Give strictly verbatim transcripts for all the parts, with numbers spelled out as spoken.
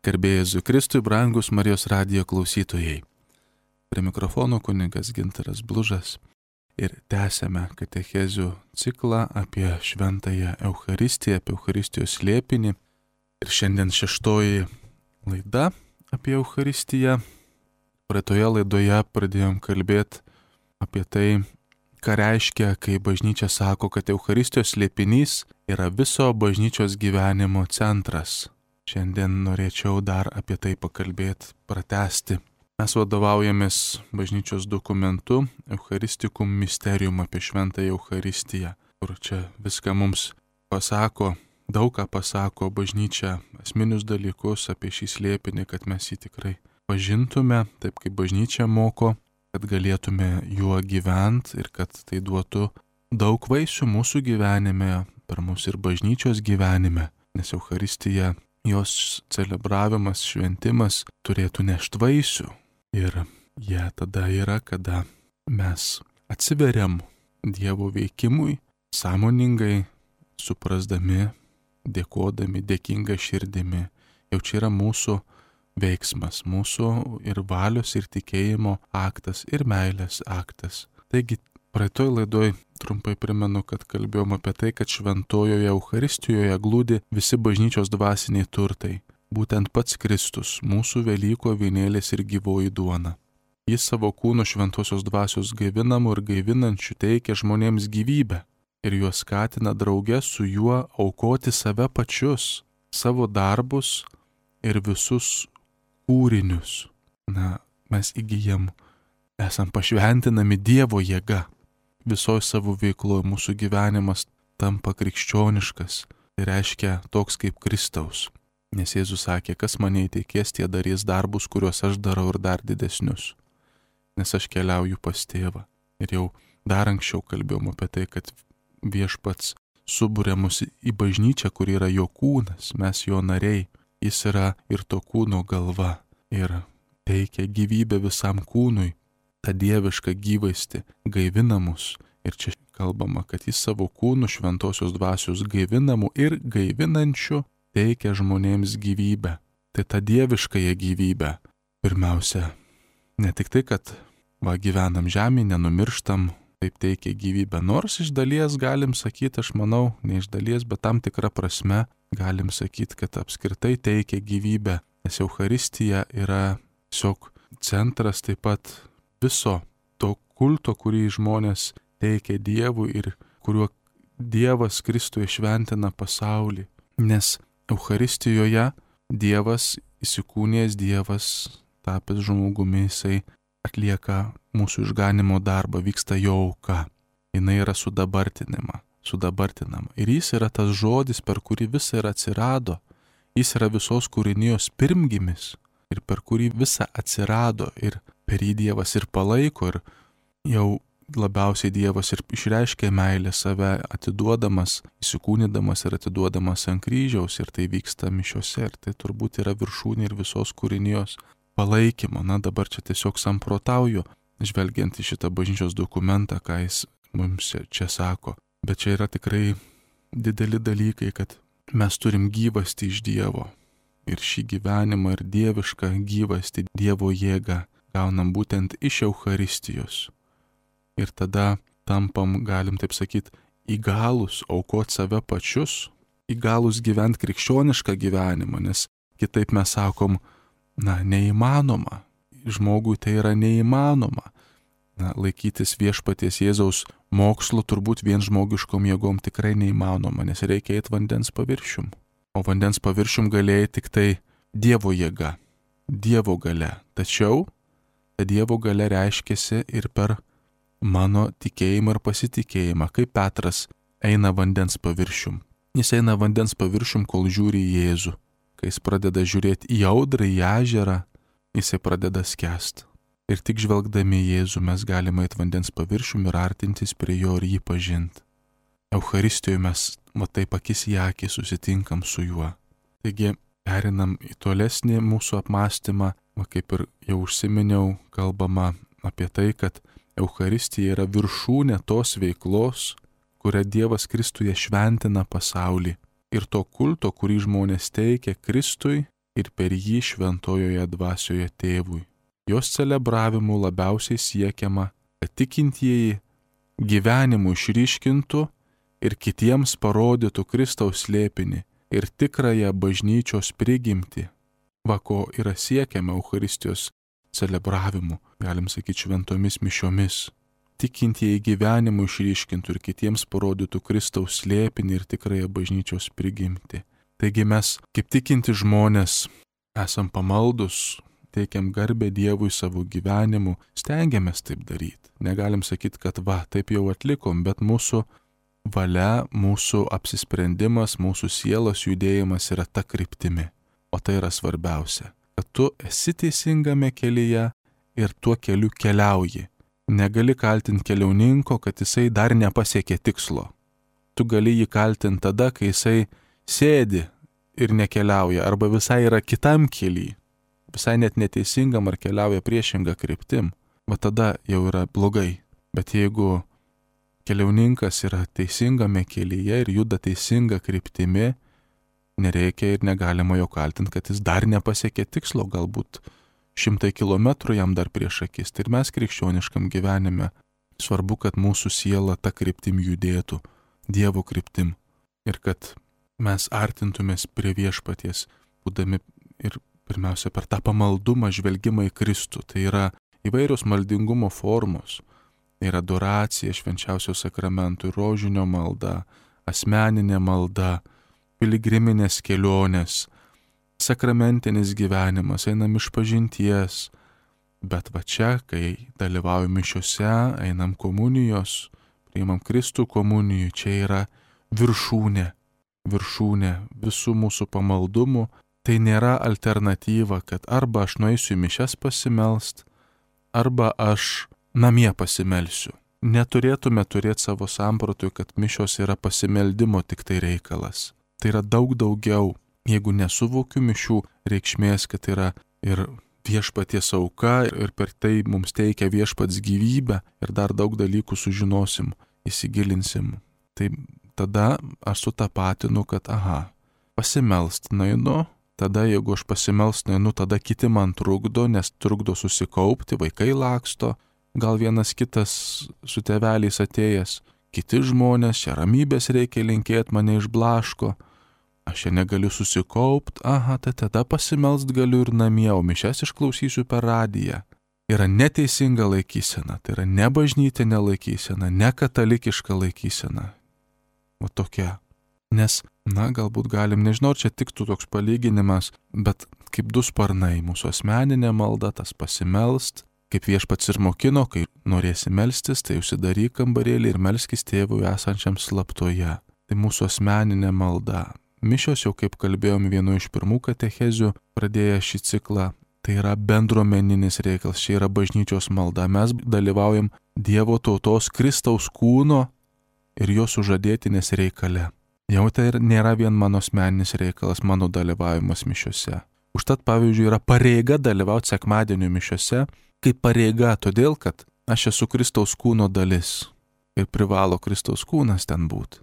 Garbė Jėzui Kristui, brangus Marijos radijo klausytojai. Prie mikrofono kunigas Gintaras Blužas ir tęsiame katechezių ciklą apie šventąją Eucharistiją, apie Eucharistijos slėpinį. Ir šiandien šeštoji laida apie Eucharistiją. Praeitoje laidoje pradėjom kalbėti apie tai, ką reiškia, kai bažnyčia sako, kad Eucharistijos slėpinys yra viso bažnyčios gyvenimo centras. Šiandien norėčiau dar apie tai pakalbėti, pratęsti. Mes vadovaujamės bažnyčios dokumentu Eucharisticum Mysterium apie šventąją Eucharistiją, kur čia viską mums pasako, daug ką pasako bažnyčia, esminius dalykus apie šį slėpinį, kad mes jį tikrai pažintume, taip kaip bažnyčia moko, kad galėtume juo gyventi ir kad tai duotų daug vaisių mūsų gyvenime, per mūsų ir bažnyčios gyvenime, nes Eucharistija, jos celebravimas, šventimas turėtų nešti vaisių. Ir jie tada yra, kada mes atsiveriam Dievo veikimui, sąmoningai, suprasdami, dėkodami, dėkinga širdimi. Jau čia yra mūsų veiksmas, mūsų ir valios, ir tikėjimo aktas, ir meilės aktas. Taigi, praeitoj laidoj trumpai primenu, kad kalbėjom apie tai, kad šventojoje Eucharistijoje glūdi visi bažnyčios dvasiniai turtai. Būtent pats Kristus, mūsų Velyko avinėlis ir gyvoji duona. Jis savo kūnu šventosios dvasios gaivinamų ir gaivinančių teikia žmonėms gyvybę ir juos skatina drauge su juo aukoti save pačius, savo darbus ir visus kūrinius. Na, mes įgyjam, esam pašventinami Dievo jėga. Visoje savo veikloje mūsų gyvenimas tampa krikščioniškas, tai reiškia toks kaip Kristaus. Nes Jėzus sakė, kas mane įteikės, tie darys darbus, kuriuos aš darau ir dar didesnius. Nes aš keliauju pas tėvą. Ir jau dar anksčiau kalbėjom apie tai, kad viešpats suburia mus į bažnyčią, kur yra jo kūnas, mes jo nariai. Jis yra ir to kūno galva ir teikia gyvybę visam kūnui. Ta dieviška gyvaisti gaivina mus. Ir čia kalbama, kad jis savo kūnų šventosios dvasios gaivinamų ir gaivinančių teikia žmonėms gyvybę. Tai ta dieviškąją gyvybę. Pirmiausia, ne tik tai, kad va, gyvenam žemėje, nenumirštam, taip teikia gyvybę. Nors iš dalies galim sakyti, aš manau, ne iš dalies, bet tam tikrą prasme galim sakyti, kad apskritai teikia gyvybę. Nes Eucharistija yra tiesiog centras taip pat viso to kulto, kurį žmonės teikia Dievui ir kuriuo Dievas Kristuje šventina pasaulį. Nes Eucharistijoje Dievas, įsikūnijęs Dievas, tapęs žmogumi, jisai atlieka mūsų išganimo darbą, vyksta jo auka. Jinai yra sudabartinama, sudabartinama. Ir jis yra tas žodis, per kurį visa ir atsirado. Jis yra visos kūrinijos pirmgimis ir per kurį visa atsirado ir per jį Dievas ir palaiko ir jau labiausiai Dievas ir išreiškia meilę save atiduodamas, įsikūnydamas ir atiduodamas ant kryžiaus ir tai vyksta mišiose ir tai turbūt yra viršūnė ir visos kūrinijos palaikymo. Na dabar čia tiesiog samprotauju, žvelgiant į šitą bažnyčios dokumentą, ką jis mums čia sako. Bet čia yra tikrai dideli dalykai, kad mes turim gyvastį iš Dievo ir šį gyvenimą ir dievišką gyvastį, Dievo jėgą gaunam būtent iš Eucharistijos. Ir tada tampam, galim taip sakyti, įgalus aukoti save pačius, įgalus gyventi krikščionišką gyvenimą, nes kitaip mes sakom, na, neįmanoma. Žmogui tai yra neįmanoma. Na, laikytis viešpaties Jėzaus mokslo turbūt vien žmogiškom jėgom tikrai neįmanoma, nes reikia eiti vandens paviršium. O vandens paviršium galėjai tik tai Dievo jėga, Dievo galia. Tačiau ta Dievo galia reiškiasi ir per mano tikėjimą ir pasitikėjimą, kaip Petras eina vandens paviršium. Jis eina vandens paviršium, kol žiūri į Jėzų. Kai jis pradeda žiūrėti į audrą, į ežerą, jisai pradeda skęst. Ir tik žvelgdami į Jėzų mes galime eiti vandens paviršium ir artintis prie jo ir jį pažinti. Eucharistijoje mes, matai, akis į akį susitinkam su juo. Taigi, perinam į tolesnį mūsų apmąstymą, va, kaip ir jau užsiminiau, kalbama apie tai, kad Eucharistija yra viršūnė tos veiklos, kurią Dievas Kristuje šventina pasaulį. Ir to kulto, kurį žmonės teikia Kristui, ir per jį šventojoje dvasioje tėvui. Jos celebravimu labiausiai siekiama, kad tikintieji gyvenimu išryškintų ir kitiems parodytų Kristaus slėpinį ir tikrąją bažnyčios prigimtį. Va ko yra siekiama Eucharistijos celebravimu, galim sakyti šventomis mišiomis. Tikintieji gyvenimu išryškintų ir kitiems parodytų Kristaus slėpinį ir tikrąją bažnyčios prigimtį. Taigi mes, kaip tikinti žmonės, esam pamaldus, teikiam garbę Dievui savo gyvenimu, stengiamės taip daryti. Negalim sakyti, kad va, taip jau atlikom, bet mūsų valia, mūsų apsisprendimas, mūsų sielos judėjimas yra ta kryptimi. O tai yra svarbiausia, kad tu esi teisingame kelyje ir tuo keliu keliauji. Negali kaltinti keliauninko, kad jisai dar nepasiekė tikslo. Tu gali jį kaltinti tada, kai jisai sėdi ir nekeliauja, arba visai yra kitam kely, visai net neteisingam ar keliauja priešingą kryptim. Va tada jau yra blogai. Bet jeigu keliauninkas yra teisingame kelyje ir juda teisinga kryptimi, nereikia ir negalima jo kaltinti, kad jis dar nepasiekė tikslo, galbūt šimtai kilometrų jam dar prieš akis. Tai ir mes krikščioniškam gyvenime svarbu, kad mūsų siela ta kryptim judėtų, Dievo kryptim. Ir kad mes artintumės prie viešpaties, būdami ir pirmiausia per tą pamaldumą žvelgimą į Kristų. Tai yra įvairios maldingumo formos. Tai yra adoracija, švenčiausio sakramentų, rožinio malda, asmeninė malda, piligriminės kelionės, sakramentinis gyvenimas, einam iš pažinties, bet va čia, kai dalyvaujam mišiose, einam komunijos, priimam Kristų komunijų, čia yra viršūnė, viršūnė visų mūsų pamaldumų. Tai nėra alternatyva, kad arba aš nueisiu į mišias pasimelst, arba aš namie pasimelsiu. Neturėtume turėti savo sampratui, kad mišios yra pasimeldimo tik tai reikalas. Tai yra daug daugiau. Jeigu nesuvokiu mišių reikšmės, kad yra ir viešpaties auka ir per tai mums teikia viešpats gyvybę ir dar daug dalykų sužinosim, įsigilinsim, tai tada aš sutapatinu, kad aha, pasimelst nainu, tada jeigu aš pasimelst nainu, tada kiti man trukdo, nes trukdo susikaupti, vaikai laksto, gal vienas kitas su tėveliais atėjęs, kiti žmonės, čia ramybės reikia linkėti, mane išblaško. Aš čia negaliu susikaupti, aha, tai tada pasimelst galiu ir namie, o mišias išklausysiu per radiją. Yra neteisinga laikysena, tai yra ne bažnytinė laikysena, ne katalikiška laikysena. O tokia. Nes, na, galbūt galim, nežinau, čia tiktų toks palyginimas, bet kaip du sparnai, mūsų asmeninė malda, tas pasimelst, kaip viešpats ir mokino, kai norėsi melstis, tai užsidaryk kambarėlį ir melskis tėvui esančiam slaptoje. Tai mūsų asmeninė malda. Mišios, jau kaip kalbėjom vienu iš pirmų katechezių, pradėję šį ciklą, tai yra bendruomeninis reikalas, čia yra bažnyčios malda. Mes dalyvaujam Dievo tautos Kristaus kūno ir jo sužadėtinės reikale. Jau tai nėra vien mano asmeninis reikalas, mano dalyvavimas mišiose. Užtat, pavyzdžiui, yra pareiga dalyvauti sekmadienio mišiose, kaip pareiga, todėl, kad aš esu Kristaus kūno dalis ir privalo Kristaus kūnas ten būti.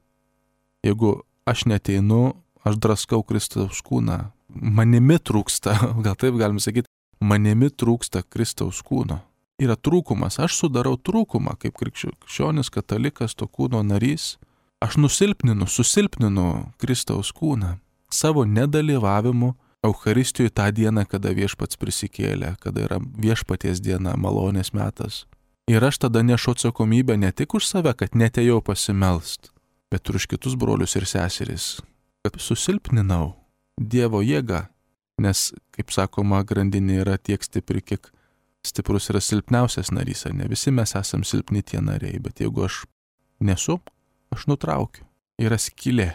Jeigu aš neteinu, aš draskau Kristaus kūną. Manimi trūksta, gal taip galim sakyti, manimi trūksta Kristaus kūno. Yra trūkumas, aš sudarau trūkumą kaip krikščionis, katalikas, to kūno narys. Aš nusilpninu, susilpninu Kristaus kūną savo nedalyvavimu Eucharistijoje tą dieną, kada viešpats prisikėlė, kada yra viešpaties diena, malonės metas. Ir aš tada nešu atsakomybę ne tik už save, kad netėjau pasimelst, bet ir už kitus brolius ir seseris, kad susilpninau Dievo jėgą, nes, kaip sakoma, grandinė yra tiek stipri, kiek stiprus yra silpniausias narys, ne visi mes esam silpni tie nariai, bet jeigu aš nesu, aš nutraukiu. Yra skylė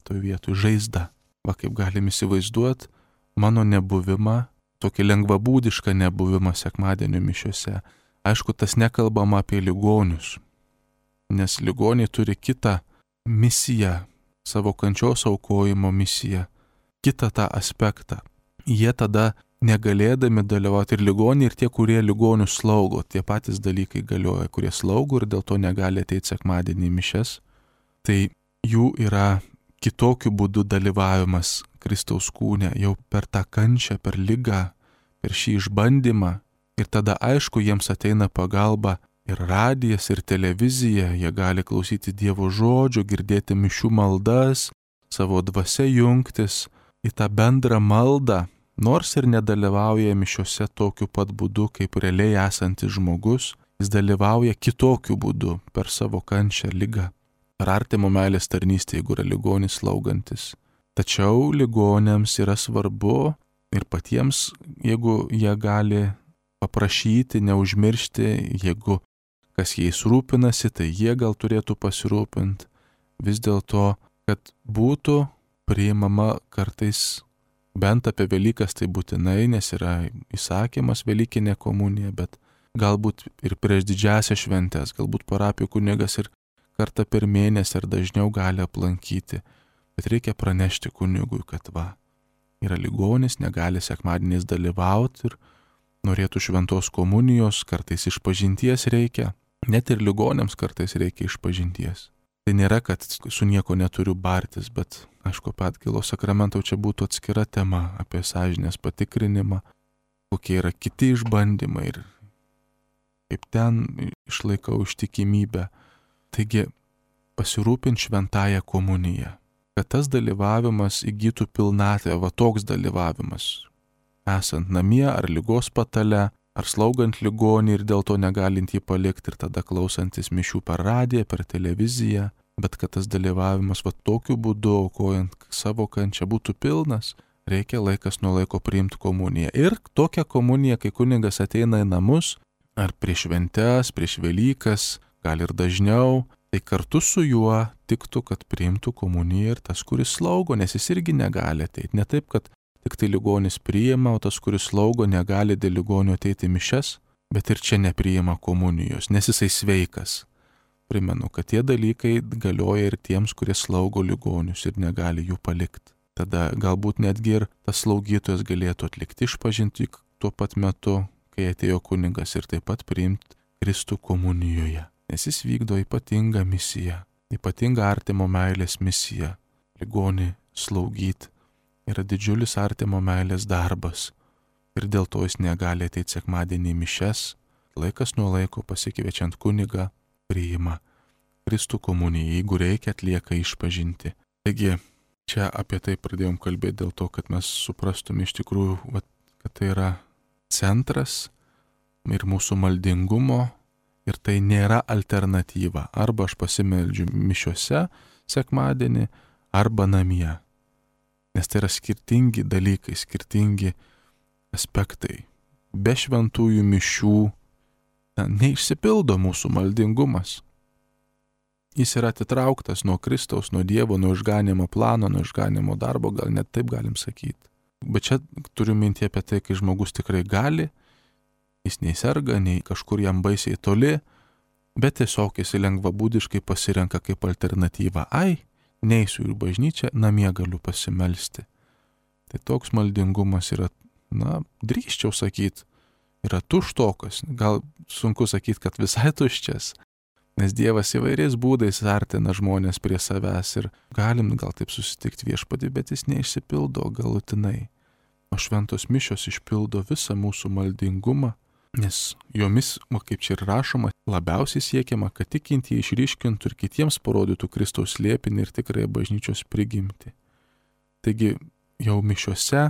toj vietoj, žaizda. Va, kaip galim įsivaizduoti mano nebuvimą, tokį lengvabūdišką nebuvimą sekmadienio mišiose. Aišku, tas nekalbama apie ligonius, nes ligoniai turi kitą misiją, savo kančios aukojimo misiją, kitą tą aspektą. Jie tada negalėdami dalyvauti ir ligoniai, ir tie, kurie ligonius slaugo, tie patys dalykai galioja, kurie slaugo ir dėl to negali ateiti sekmadienį į mišias, tai jų yra kitokiu būdu dalyvavimas Kristaus kūne, jau per tą kančią, per ligą, per šį išbandymą. Ir tada aišku, jiems ateina pagalba ir radijas, ir televizija, jie gali klausyti Dievo žodžio, girdėti mišių maldas, savo dvasia jungtis į tą bendrą maldą, nors ir nedalyvauja mišiuose tokiu pat būdu, kaip realiai esantis žmogus, jis dalyvauja kitokiu būdu per savo kančią, ligą. Per artimo meilės tarnystę, jeigu yra ligonis slaugantis. Tačiau ligonėms yra svarbu ir patiems, jeigu jie gali paprašyti, neužmiršti, jeigu kas jais rūpinasi, tai jie gal turėtų pasirūpinti. Vis dėlto, kad būtų priimama kartais, bent apie Velykas tai būtinai, nes yra įsakymas Velykinė komunija, bet galbūt ir prieš didžiąsias šventes, galbūt parapijų kunigas ir kartą per mėnesį ar dažniau gali aplankyti. Bet reikia pranešti kunigui, kad va, yra ligonis, negali sekmadieniais dalyvauti ir norėtų šventos komunijos, kartais išpažinties reikia. Net ir ligonėms kartais reikia išpažinties. Tai nėra, kad su nieko neturiu bartis, bet aišku, apie atgailos sakramentą čia būtų atskira tema apie sąžinės patikrinimą, kokie yra kiti išbandymai ir kaip ten išlaikau ištikimybę. Taigi, pasirūpint šventąją komuniją, kad tas dalyvavimas įgytų pilnatvę, va toks dalyvavimas, esant namie ar ligos patale, ar slaugant ligonį ir dėl to negalint jį palikti ir tada klausantis mišių per radiją, per televiziją, bet kad tas dalyvavimas va tokiu būdu, aukojant savo kančią, būtų pilnas, reikia laikas nuo laiko priimti komuniją. Ir tokią komuniją, kai kunigas ateina į namus, ar prieš šventes, prieš Velykas, gal ir dažniau, tai kartu su juo tiktų, kad priimtų komuniją ir tas, kuris slaugo, nes jis irgi negali ateiti. Ne taip, kad tik tai ligonis priima, o tas, kuris slaugo, negali dėl ligonio ateiti mišias, bet ir čia nepriima komunijos, nes jisai sveikas. Primenu, kad tie dalykai galioja ir tiems, kurie slaugo ligonius ir negali jų palikti. Tada galbūt netgi ir tas slaugytojas galėtų atlikti išpažintį tuo pat metu, kai atėjo kunigas ir taip pat priimti Kristų komunijoje. Nes jis vykdo ypatingą misiją, ypatingą artimo meilės misiją. Ligonį slaugyti yra didžiulis artimo meilės darbas ir dėl to jis negali ateiti sekmadienį į mišias, laikas nuo laiko pasikviečiant kunigą priima Kristų komuniją, jeigu reikia atlieka išpažinti. Taigi, čia apie tai pradėjom kalbėti dėl to, kad mes suprastume iš tikrųjų, kad tai yra centras ir mūsų maldingumo ir tai nėra alternatyva. Arba aš pasimeldžiu mišiuose sekmadienį, arba namie. Nes tai yra skirtingi dalykai, skirtingi aspektai. Be šventųjų mišių na, neišsipildo mūsų maldingumas. Jis yra atitrauktas nuo Kristaus, nuo Dievo, nuo išganimo plano, nuo išganimo darbo, gal net taip galim sakyti. Bet čia turiu mintį apie tai, kai žmogus tikrai gali, jis nei serga, nei kažkur jam baisiai toli, bet tiesiog jis lengvabūdiškai pasirenka kaip alternatyvą. Ai, neisiu į bažnyčią, namie galiu pasimelsti. Tai toks maldingumas yra, na, drįsčiau sakyti, yra tuštokas. Gal sunku sakyti, kad visai tuščias, nes Dievas įvairiais būdais artina žmonės prie savęs ir galim gal taip susitikti Viešpatį, bet jis neišsipildo galutinai. O šventos mišios išpildo visą mūsų maldingumą, nes jomis, o kaip čia ir rašoma, labiausiai siekiama, kad tikintieji išryškintų ir kitiems parodytų Kristaus slėpinį ir tikrąją bažnyčios prigimtį. Taigi jau mišiuose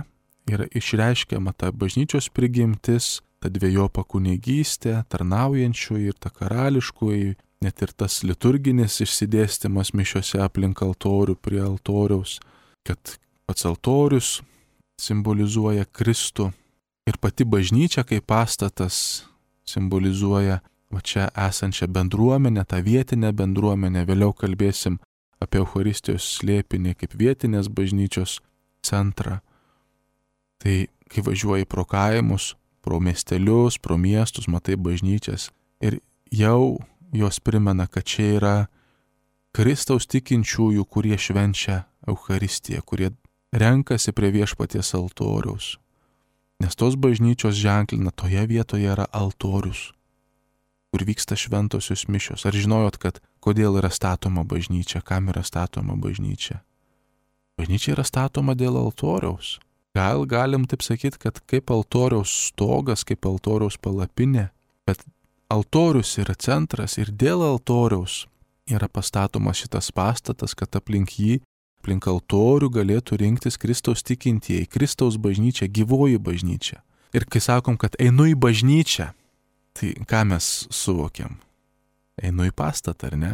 yra išreiškiama ta bažnyčios prigimtis, ta dvejopa kunigystė, tarnaujančioji ir ta karališkoji, net ir tas liturginis išsidėstymas mišiuose aplink altorių, prie altoriaus, kad pats altorius simbolizuoja Kristų. Ir pati bažnyčia kaip pastatas simbolizuoja va čia esančią bendruomenę, tą vietinę bendruomenę. Vėliau kalbėsim apie Eucharistijos slėpinį kaip vietinės bažnyčios centrą. Tai kai važiuoji pro kaimus, pro miestelius, pro miestus, matai bažnyčias ir jau jos primena, kad čia yra Kristaus tikinčiųjų, kurie švenčia Eucharistiją, kurie renkasi prie Viešpaties altoriaus. Nes tos bažnyčios ženklina, toje vietoje yra altorius, kur vyksta šventosios mišios. Ar žinojot, kad kodėl yra statoma bažnyčia, kam yra statoma bažnyčia? Bažnyčia yra statoma dėl altoriaus. Gal galim taip sakyti, kad kaip altoriaus stogas, kaip altoriaus palapinė, bet altorius yra centras ir dėl altoriaus yra pastatomas šitas pastatas, kad aplink jį, aplink altorių galėtų rinktis Kristaus tikintieji, Kristaus bažnyčia, gyvoji bažnyčia. Ir kai sakom, kad einu į bažnyčią, tai ką mes suvokiam? Einu į pastatą, ar ne?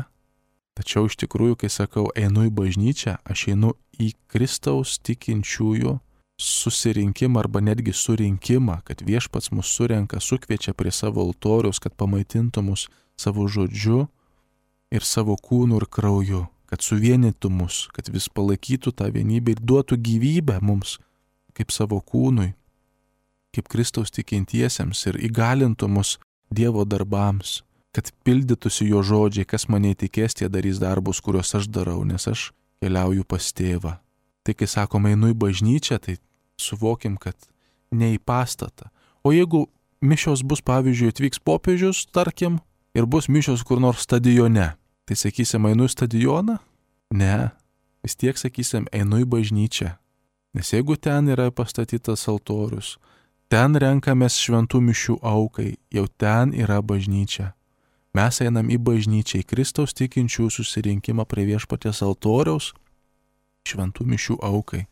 Tačiau iš tikrųjų, kai sakau, einu į bažnyčią, aš einu į Kristaus tikinčiųjų susirinkimą arba netgi surinkimą, kad viešpats mus surenka, sukviečia prie savo altoriaus, kad pamaitintų mus savo žodžiu ir savo kūnu ir krauju, kad suvienytų mus, kad vis palaikytų tą vienybę ir duotų gyvybę mums kaip savo kūnui, kaip Kristaus tikintiesiems ir įgalintų mus Dievo darbams, kad pildytųsi jo žodžiai, kas mane įtikės, tie darys darbus, kuriuos aš darau, nes aš keliauju pas tėvą. Tai kai sakome, einu į bažnyčią, tai suvokim, kad ne į pastatą. O jeigu mišios bus, pavyzdžiui, atvyks popiežius, tarkim, ir bus mišios kur nors stadione, tai sakysim, einu į stadioną? Ne, vis tiek sakysim, einu į bažnyčią. Nes jeigu ten yra pastatytas altorius, ten renkamės šventų mišių aukai, jau ten yra bažnyčia. Mes einam į bažnyčią, į Kristaus tikinčių susirinkimą prie viešpaties altoriaus, šventų mišių aukai.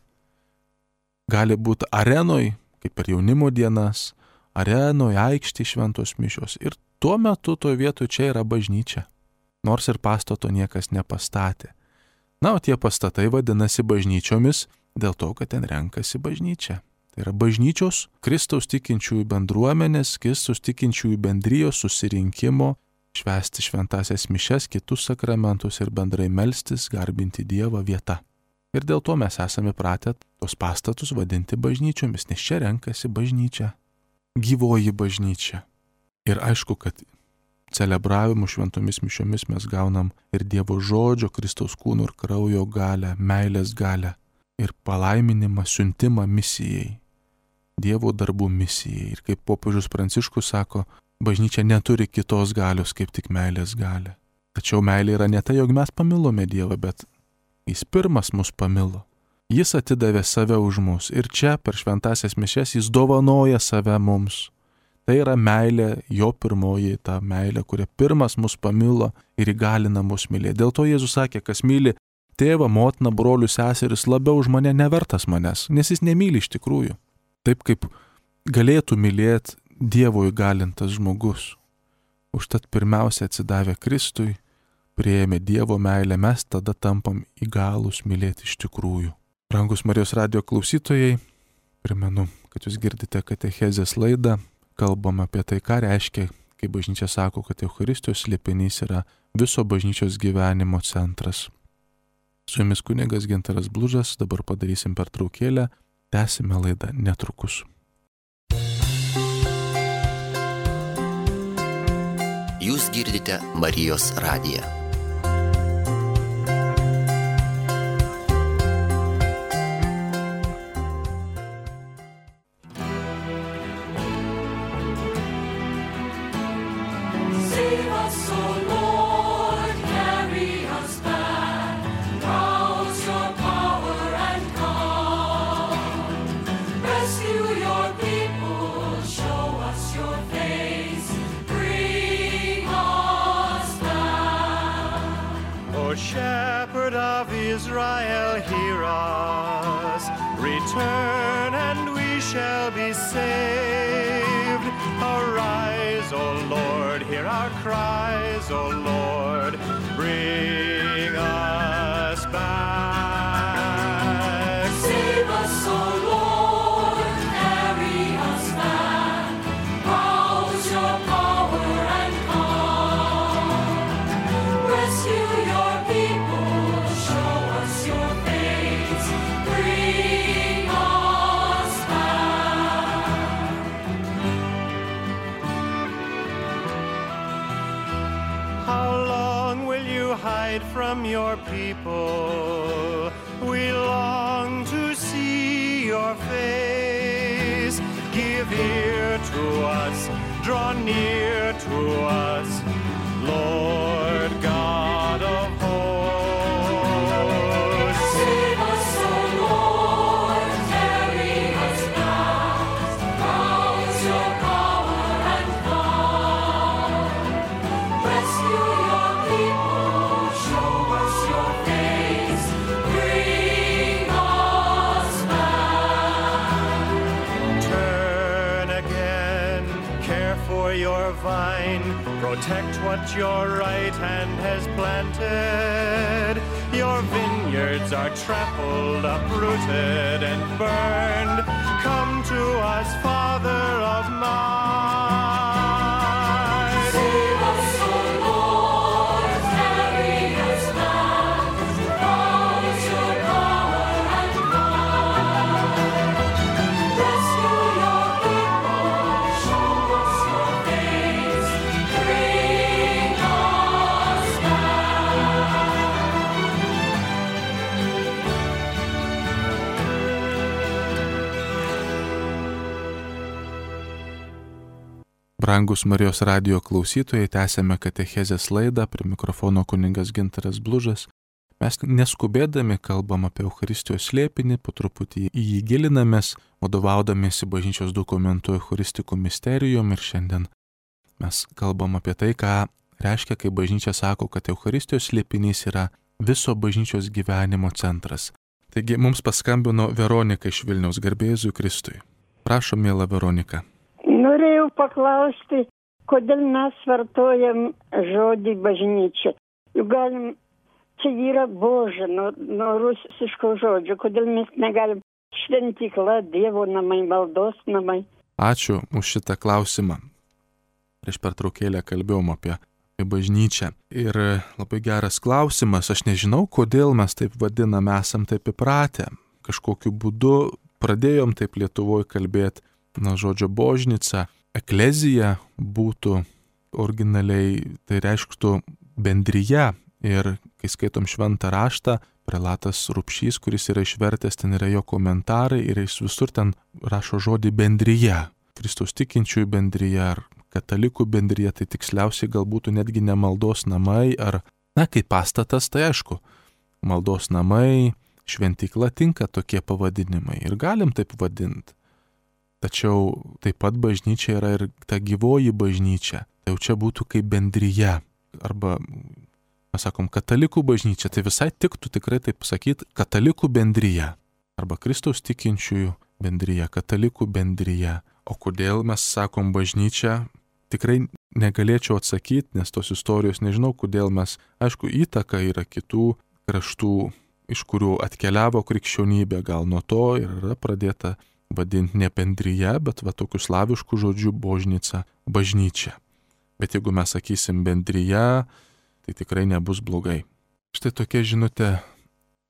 Gali būti arenoj, kaip per jaunimo dienas, arenoj, aikštė šventos mišios. Ir tuo metu toje vietoje čia yra bažnyčia. Nors ir pastato niekas nepastatė. Na, o tie pastatai vadinasi bažnyčiomis dėl to, kad ten renkasi bažnyčia. Tai yra bažnyčios, Kristaus tikinčiųjų bendruomenės, Kristaus tikinčiųjų bendrijos susirinkimo, švęsti šventasias mišes, kitus sakramentus ir bendrai melstis, garbinti Dievą vieta. Ir dėl to mes esame pratę tos pastatus vadinti bažnyčiomis, nes čia renkasi bažnyčia, gyvoji bažnyčia. Ir aišku, kad celebravimu šventomis mišiomis mes gaunam ir Dievo žodžio, Kristaus kūno ir kraujo galę, meilės galę ir palaiminimą, siuntimą misijai, Dievo darbų misijai. Ir kaip popiežius Pranciškus sako, bažnyčia neturi kitos galios kaip tik meilės galę. Tačiau meilė yra ne tai, jog mes pamilome Dievą, bet Jis pirmas mus pamilo. Jis atidavė save už mus ir čia per šventasias mišias Jis dovanoja save mums. Tai yra meilė, jo pirmoji ta meilė, kuria pirmas mus pamilo ir įgalina mus mylėti. Dėl to Jėzus sakė, kas myli tėvą, motiną, brolius, seseris, labiau už mane nevertas manęs, nes jis nemyli iš tikrųjų. Taip kaip galėtų mylėti Dievo įgalintas žmogus. Užtat pirmiausia atsidavę Kristui, priėmė Dievo meilę, mes tada tampam įgalūs mylėti iš tikrųjų. Brangus Marijos radijo klausytojai, primenu, kad jūs girdite katechezės laidą, kalbam apie tai, ką reiškia, kai bažnyčia sako, kad Eucharistijos slėpinys yra viso bažnyčios gyvenimo centras. Su jumis kunigas Gintaras Blužas, dabar padarysim pertraukėlę, tęsime laidą netrukus. Jūs girdite Marijos radiją. Shepherd of Israel, hear us. Return and we shall be saved. Arise, O Lord, hear our cries, O Lord. Bring us back. Save us, O Lord, carry us back. Rouse your power and come. Rescue your people, show us your face. Bring us back. How long will you hide from your people? We long to see your face. Give ear to us, draw near to us, Lord God of hosts. Save us, O restore your vine, protect what your right hand has planted. Your vineyards are trampled, uprooted, and burned. Come to us, Father of might. Save us, O Lord, carry us back. Rouse your power and might. Rescue your people, show us your face. Bring us back. Brangus Marijos radijo klausytojai, tęsėme katechezės laidą, prie mikrofono kunigas Gintaras Blužas. Mes neskubėdami kalbam apie Eucharistijos slėpinį, po truputį į jį gilinamės, vadovaudamiesi bažnyčios dokumentų Eucharistikų misterijom, ir šiandien mes kalbam apie tai, ką reiškia, kai bažnyčia sako, kad Eucharistijos slėpinys yra viso bažnyčios gyvenimo centras. Taigi mums paskambino Veronika iš Vilniaus, garbė Jėzui Kristui. Prašom, miela Veronika. Norėjau paklausti, kodėl mes vartojam žodį bažnyčia. Juk galim, čia yra Boža, nuo, nuo rusiško žodžio, kodėl mes negalim šventykla, Dievo namai, maldos namai. Ačiū už šitą klausimą. Prieš pertraukėlę kalbėjom apie, apie bažnyčią. Ir labai geras klausimas, aš nežinau, kodėl mes taip vadinam, esam taip įpratę. Kažkokiu būdu pradėjom taip Lietuvoje kalbėti. Na, žodžio božnica, eklezija būtų originaliai, tai reikštų bendryje. Ir kai skaitom šventą raštą, prelatas Rupšys, kuris yra išvertęs, ten yra jo komentarai ir jis visur ten rašo žodį bendryje. Kristaus tikinčiųjų bendryje ar katalikų bendryje, tai tiksliausiai gal būtų netgi ne maldos namai ar, na, kaip pastatas, tai aišku, maldos namai, šventykla tinka tokie pavadinimai ir galim taip vadinti. Tačiau taip pat bažnyčia yra ir ta gyvoji bažnyčia. Tai jau čia būtų kaip bendryje. Arba, mes sakom, katalikų bažnyčia. Tai visai tiktų tikrai taip sakyti katalikų bendryje. Arba Kristaus tikinčiųjų bendryje, katalikų bendryje. O kodėl mes sakom bažnyčia, tikrai negalėčiau atsakyti, nes tos istorijos nežinau, kodėl mes, aišku, įtaka yra kitų kraštų, iš kurių atkeliavo krikščionybė, gal nuo to ir yra pradėta vadinti ne bendryje, bet va tokiu slavišku žodžiu božnica, bažnyčia. Bet jeigu mes sakysim bendryje, tai tikrai nebus blogai. Štai tokia žinutė.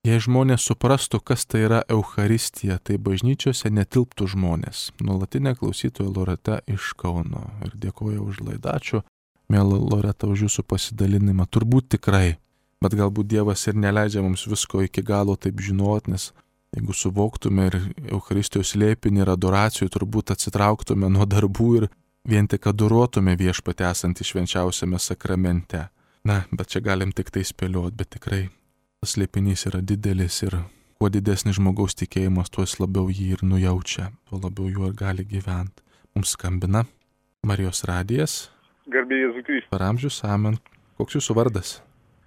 Jei žmonės suprastų, kas tai yra Eucharistija, tai bažnyčiose netilptų žmonės. Nuolatinė klausytoja Loreta iš Kauno. Ir dėkoju už laidą. Ačiū, mėla Loreta, už jūsų pasidalinimą. Turbūt tikrai. Bet galbūt Dievas ir neleidžia mums visko iki galo taip žinot, nes jeigu suvoktume ir Eucharistijos slėpinį ir adoracijų, turbūt atsitrauktume nuo darbų ir vien tik adoruotume Viešpatį esantį švenčiausiame sakramente. Na, bet čia galim tik tai spėlioti, bet tikrai tas slėpinys yra didelis ir kuo didesnis žmogaus tikėjimas, tuo jis labiau jį ir nujaučia, tuo labiau juo ir gali gyventi. Mums skambina Marijos radijas. Garbė Jėzui Kristui. Per amžius, amen. Koks jūsų vardas?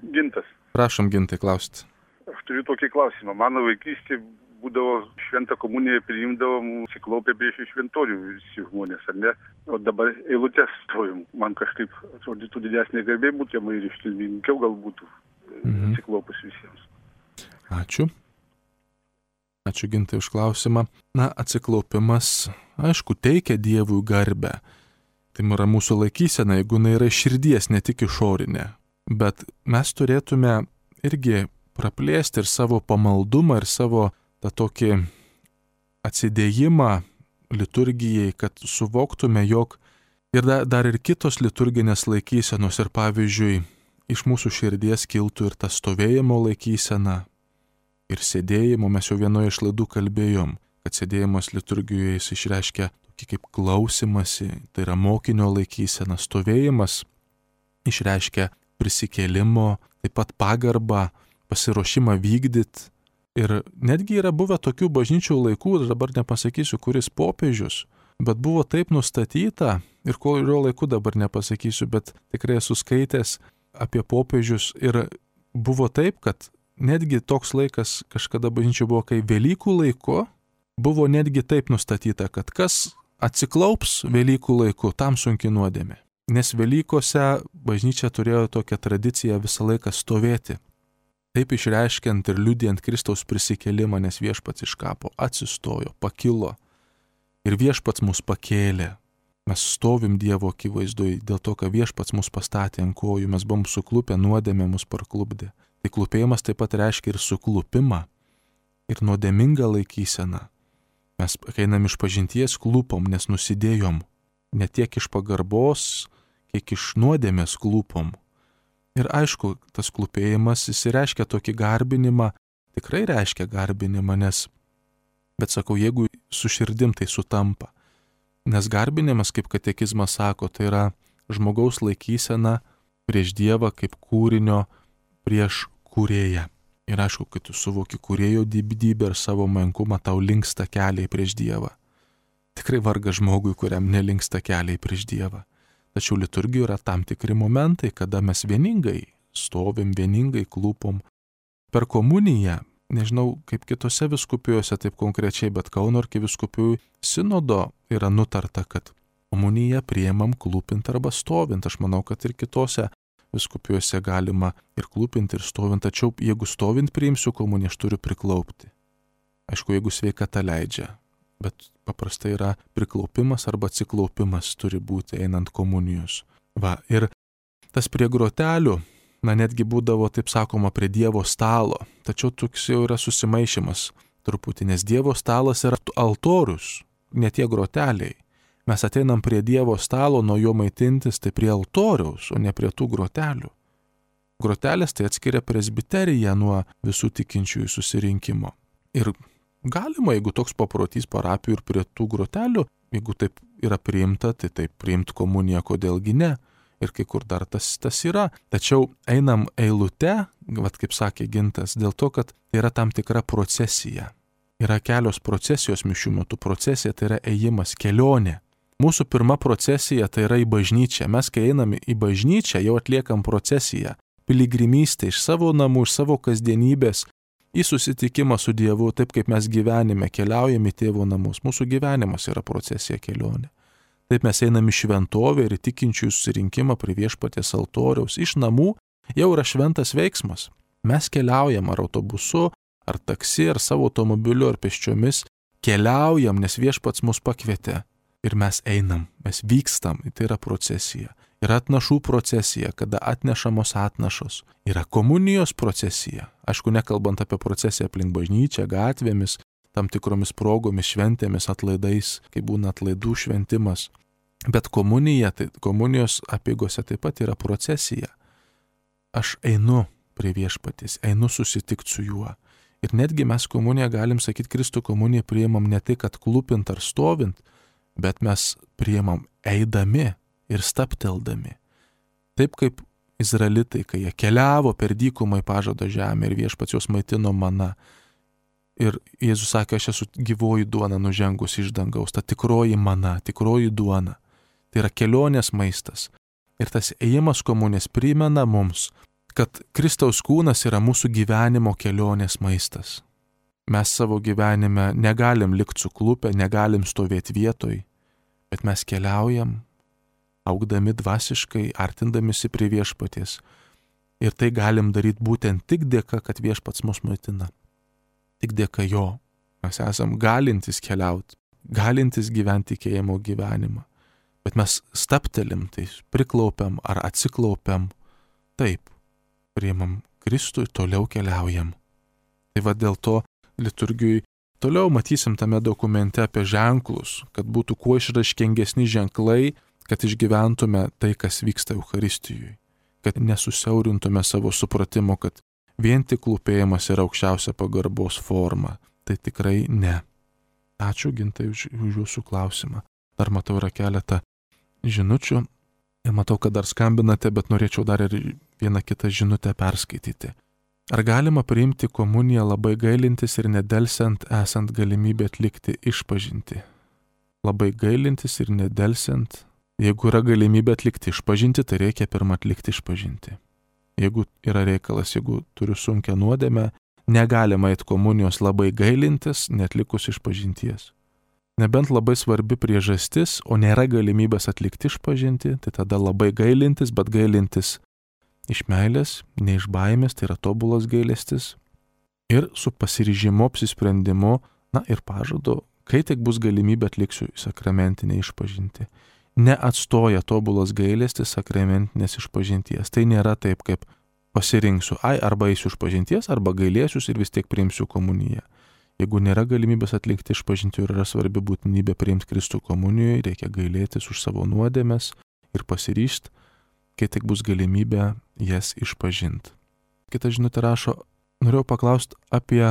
Gintas. Prašom, Gintai, klausti. Aš turiu tokį klausimą. Mano vaikystė būdavo šventą komuniją priimdavom siklaupę prieš šventorių visi žmonės, ar ne? O dabar eilutės stovim. Man kažkaip atrodytų didesnė garbė būtų, jam ir ištilminkiau gal būtų mhm. siklaupus visiems. Ačiū. Ačiū, Gintai, už klausimą. Na, atsiklaupimas, aišku, teikia Dievui garbę. Tai yra mūsų laikysena, jeigu jinai yra širdies, ne tik išorinė. Bet mes turėtume irgi praplėsti ir savo pamaldumą, ir savo tą tokį atsidėjimą liturgijai, kad suvoktume, jog ir da, dar ir kitos liturginės laikysenos, ir pavyzdžiui, iš mūsų širdies kiltų ir ta stovėjimo laikysena, ir sėdėjimo. Mes jau vienoje iš laidų kalbėjom, kad sėdėjimas liturgijoje jis išreiškia tokį kaip klausimasi, tai yra mokinio laikysena. Stovėjimas išreiškia prisikėlimo, taip pat pagarbą, pasiruošimą vykdyti. Ir netgi yra buvę tokių bažnyčių laikų, dabar nepasakysiu, kuris popiežius, bet buvo taip nustatyta, ir kurio laiku dabar nepasakysiu, bet tikrai esu skaitęs apie popiežius, ir buvo taip, kad netgi toks laikas kažkada bažnyčių buvo, kai Velykų laiku buvo netgi taip nustatyta, kad kas atsiklaups Velykų laiku, tam sunki nuodėmė. Nes Velykose bažnyčia turėjo tokią tradiciją visą laiką stovėti. Taip išreiškiant ir liudijant Kristaus prisikėlimą, nes viešpats iš kapo atsistojo, pakilo ir viešpats mus pakėlė. Mes stovim Dievo akivaizdoj dėl to, kad viešpats mus pastatė ant kojų, mes buvom suklupę, nuodėmė mus parklupdė. Tai klupėjimas taip pat reiškia ir suklupimą, ir nuodėmingą laikyseną. Mes einam iš pažinties klupom, nes nusidėjom, ne tiek iš pagarbos, kiek iš nuodėmės klupom. Ir aišku, tas klupėjimas jis reiškia tokį garbinimą, tikrai reiškia garbinimą, nes, bet sakau, jeigu su širdim tai sutampa. Nes garbinimas, kaip katekizmas sako, tai yra žmogaus laikysena prieš Dievą kaip kūrinio prieš kūrėją. Ir aišku, kai tu suvoki kūrėjo didybę ir savo menkumą, tau linksta keliai prieš Dievą. Tikrai varga žmogui, kuriam nelinksta keliai prieš Dievą. Tačiau liturgijoje yra tam tikri momentai, kada mes vieningai stovim, vieningai klūpom. Per komuniją, nežinau kaip kitose vyskupijose taip konkrečiai, bet Kauno arkivyskupijų sinodo yra nutarta, kad komuniją priimam klūpint arba stovint. Aš manau, kad ir kitose vyskupijose galima ir klūpint, ir stovint. Tačiau jeigu stovint priimsiu komuniją, aš turiu priklaupti. Aišku, jeigu sveikata leidžia. Bet paprastai yra priklaupimas arba atsiklaupimas turi būti einant komunijos. Va, ir tas prie grotelių, na netgi būdavo, taip sakoma, prie Dievo stalo. Tačiau toks jau yra susimaišymas truputį, nes Dievo stalas yra altorius, ne tie groteliai. Mes ateinam prie Dievo stalo, nuo jo maitintis, tai prie altoriaus, o ne prie tų grotelių. Grotelės tai atskiria presbiteriją nuo visų tikinčiųjų susirinkimo. Ir galima, jeigu toks paprotys parapijų ir prie tų grotelių, jeigu taip yra priimta, tai taip priimti komuniją, kodėlgi ne. Ir kai kur dar tas, tas yra. Tačiau einam eilute, vat kaip sakė Gintas, dėl to, kad tai yra tam tikra procesija. Yra kelios procesijos mišių metu. Procesija tai yra ėjimas, kelionė. Mūsų pirma procesija tai yra į bažnyčią. Mes, kai einam į bažnyčią, jau atliekam procesiją. Piligrimystę iš savo namų, iš savo kasdienybės, į susitikimą su Dievu, taip kaip mes gyvenime keliaujame į tėvo namus. Mūsų gyvenimas yra procesija, kelionė. Taip mes einame į šventovę ir į tikinčiųjų susirinkimą prie viešpaties altoriaus. Iš namų jau yra šventas veiksmas. Mes keliaujam ar autobusu, ar taksi, ar savo automobiliu, ar pėsčiomis. Keliaujam, nes viešpats mus pakvietė. Ir mes einam, mes vykstam, tai yra procesija. Yra atnašų procesija, kada atnešamos atnašos. Yra komunijos procesija. Aišku, nekalbant apie procesiją aplink bažnyčią, gatvėmis, tam tikromis progomis, šventėmis, atlaidais, kai būna atlaidų šventimas. Bet komunija, tai komunijos apeigose taip pat yra procesija. Aš einu prie viešpaties, einu susitikti su juo. Ir netgi mes komuniją galim sakyti, Kristų komuniją priimam ne tai, kad klūpint ar stovint, bet mes priimam eidami ir stapteldami. Taip kaip izraelitai, kai jie keliavo per dykumą į pažado žemę ir viešpats juos maitino mana. Ir Jėzus sakė, aš esu gyvoji duona nužengus iš dangaus, ta tikroji mana, tikroji duona. Tai yra kelionės maistas. Ir tas ėjimas komunės primena mums, kad Kristaus kūnas yra mūsų gyvenimo kelionės maistas. Mes savo gyvenime negalim likti suklupę, negalim stovėti vietoj, bet mes keliaujam, augdami dvasiškai, artindamisi prie viešpaties. Ir tai galim daryti būtent tik dėka, kad viešpats mus maitina. Tik dėka jo. Mes esam galintys keliauti, galintys gyventi tikėjimo gyvenimą. Bet mes staptelim, tai priklaupiam ar atsiklaupiam. Taip, priimam Kristų ir toliau keliaujam. Tai va dėl to liturgijai toliau matysim tame dokumente apie ženklus, kad būtų kuo išraiškingesni ženklai, kad išgyventume tai, kas vyksta Eucharistijoje, kad nesusiaurintume savo supratimo, kad vien tik klūpėjimas yra aukščiausia pagarbos forma. Tai tikrai ne. Ačiū, Gintai, už, už jūsų klausimą. Dar matau yra keletą žinučių ir matau, kad dar skambinate, bet norėčiau dar ir vieną kitą žinutę perskaityti. Ar galima priimti komuniją labai gailintis ir nedelsiant esant galimybė atlikti išpažintį? Labai gailintis ir nedelsiant. Jeigu yra galimybė atlikti išpažintį, tai reikia pirmą atlikti išpažintį. Jeigu yra reikalas, jeigu turiu sunkią nuodėmę, negalima eiti komunijos labai gailintis, netlikus išpažinties. Nebent labai svarbi priežastis, o nėra galimybės atlikti išpažinti, tai tada labai gailintis, bet gailintis iš meilės, ne iš baimės, tai yra tobulas gailestis. Ir su pasiryžimu, apsisprendimu, na ir pažadu, kai tik bus galimybė atliksiu sakramentinę išpažinti. Neatstoja tobulas gailestis sakramentinės išpažinties. Tai nėra taip, kaip pasirinksiu, ai, arba eisiu išpažinties, arba gailėsius ir vis tiek priimsiu komuniją. Jeigu nėra galimybės atlikti išpažinti ir yra svarbi būtinybė priimti Kristų komunijoje, reikia gailėtis už savo nuodėmes ir pasiryžti, kai tik bus galimybė jas išpažinti. Kita žinutė rašo, norėjau paklausti apie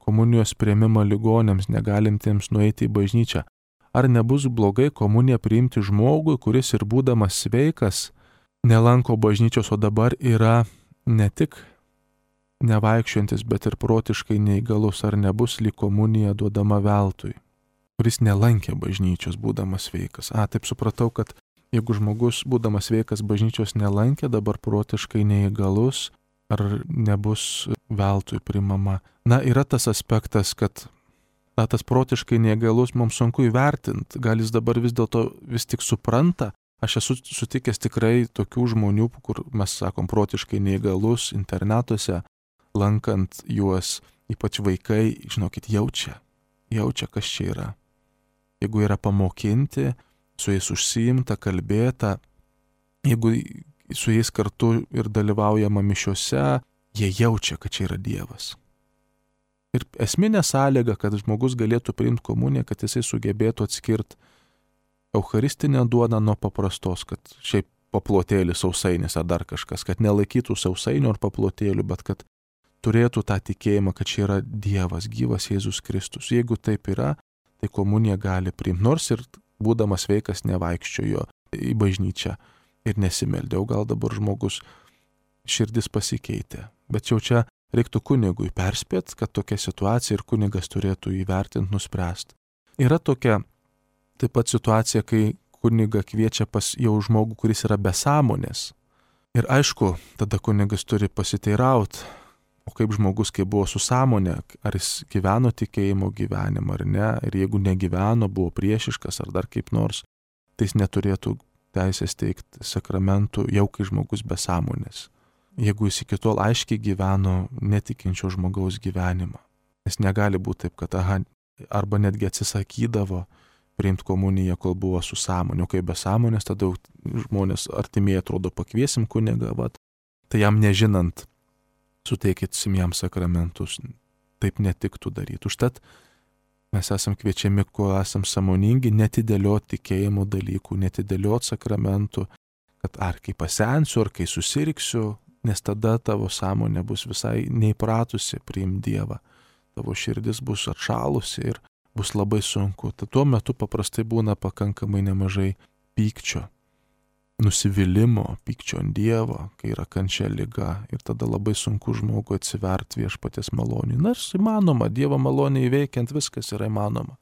komunijos priėmimą ligonėms negalintiems nueiti į bažnyčią. Ar nebus blogai komuniją priimti žmogui, kuris ir būdamas sveikas nelanko bažnyčios, o dabar yra ne tik nevaikščiojantis, bet ir protiškai neįgalus, ar nebus lyg komunija duodama veltui, kuris nelankė bažnyčios būdamas sveikas. A, taip supratau, kad jeigu žmogus būdamas sveikas bažnyčios nelankė, dabar protiškai neįgalus, ar nebus veltui primama. Na, yra tas aspektas, kad na, tas protiškai neįgalus mums sunku įvertinti, gal jis dabar vis dėlto vis tik supranta. Aš esu sutikęs tikrai tokių žmonių, kur mes sakom protiškai neįgalus internatuose, lankant juos, ypač vaikai, žinokit, jaučia, jaučia, kas čia yra. Jeigu yra pamokinti, su jais užsiimta, kalbėta, jeigu su jais kartu ir dalyvaujama mišiuose, jie jaučia, kad čia yra Dievas. Ir esminė sąlyga, kad žmogus galėtų priimti komuniją, kad jisai sugebėtų atskirti eucharistinę duoną nuo paprastos, kad šiaip paplotėlis, sausainis ar dar kažkas, kad nelaikytų sausainių ar paplotėlių, bet kad turėtų tą tikėjimą, kad čia yra Dievas, gyvas Jėzus Kristus. Jeigu taip yra, tai komuniją gali priimti. Nors ir būdamas sveikas nevaikščiojo į bažnyčią ir nesimeldė, o gal dabar žmogus širdis pasikeitė. Bet jau čia reiktų kunigui perspėti, kad tokia situacija ir kunigas turėtų įvertinti, nuspręsti. Yra tokia taip pat situacija, kai kuniga kviečia pas jau žmogų, kuris yra be sąmonės. Ir aišku, tada kunigas turi pasiteirauti, o kaip žmogus, kai buvo su sąmonė, ar jis gyveno tikėjimo gyvenimą ar ne, ir jeigu negyveno, buvo priešiškas ar dar kaip nors, tai jis neturėtų teisės teikti sakramentų jau kai žmogus be sąmonės. Jeigu jis iki tol aiškiai gyveno netikinčio žmogaus gyvenimą. Nes negali būti taip, kad aha, arba netgi atsisakydavo priimti komuniją, kol buvo su sąmonė, o kai be sąmonės, tada žmonės artimieji atrodo pakviesim kunigą, vat, tai jam nežinant, suteikysim jam sakramentus, taip netiktų daryti. Užtat mes esam kviečiami, kuo esam sąmoningi, netidėlioti tikėjimo dalykų, netidėlioti sakramentų, kad ar kai pasensiu, ar kai susirgsiu, nes tada tavo sąmonė bus visai neįpratusi priimti Dievą. Tavo širdis bus atšalusi ir bus labai sunku. Tad tuo metu paprastai būna pakankamai nemažai pykčio, nusivylimų, pykčio ant Dievo, kai yra kančia liga, ir tada labai sunku žmogui atsiverti viešpaties malonį. Nors įmanoma, Dievo malonė įveikiant viskas yra įmanoma.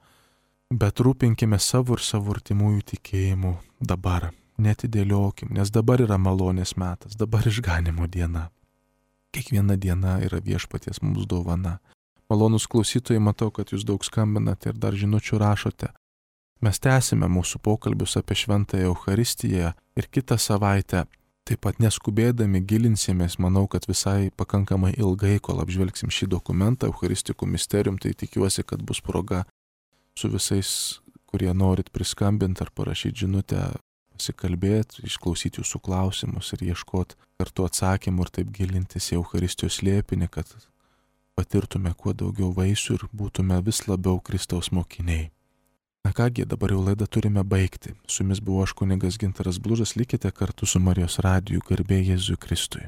Bet rūpinkime savo ir savo artimųjų tikėjimu dabar, netidėliokim, nes dabar yra malonės metas, dabar išganimo diena. Kiekviena diena yra viešpaties mums dovana. Malonus klausytojai, matau, kad jūs daug skambinate ir dar žinučių rašote. Mes tęsime mūsų pokalbius apie šventąją Eucharistiją ir kitą savaitę, taip pat neskubėdami gilinsimės, manau, kad visai pakankamai ilgai, kol apžvelgsim šį dokumentą, Eucharistikų misterium, tai tikiuosi, kad bus proga su visais, kurie norit priskambinti ar parašyti žinutę, pasikalbėti, išklausyti jūsų klausimus ir ieškoti kartu atsakymų ir taip gilintis į Eucharistijos slėpinį, kad patirtume kuo daugiau vaisių ir būtume vis labiau Kristaus mokiniai. Na kągi, dabar jau laidą turime baigti. Su jumis buvo aš kunigas Gintaras Blužas, likite kartu su Marijos radiju, garbė Jėzui Kristui.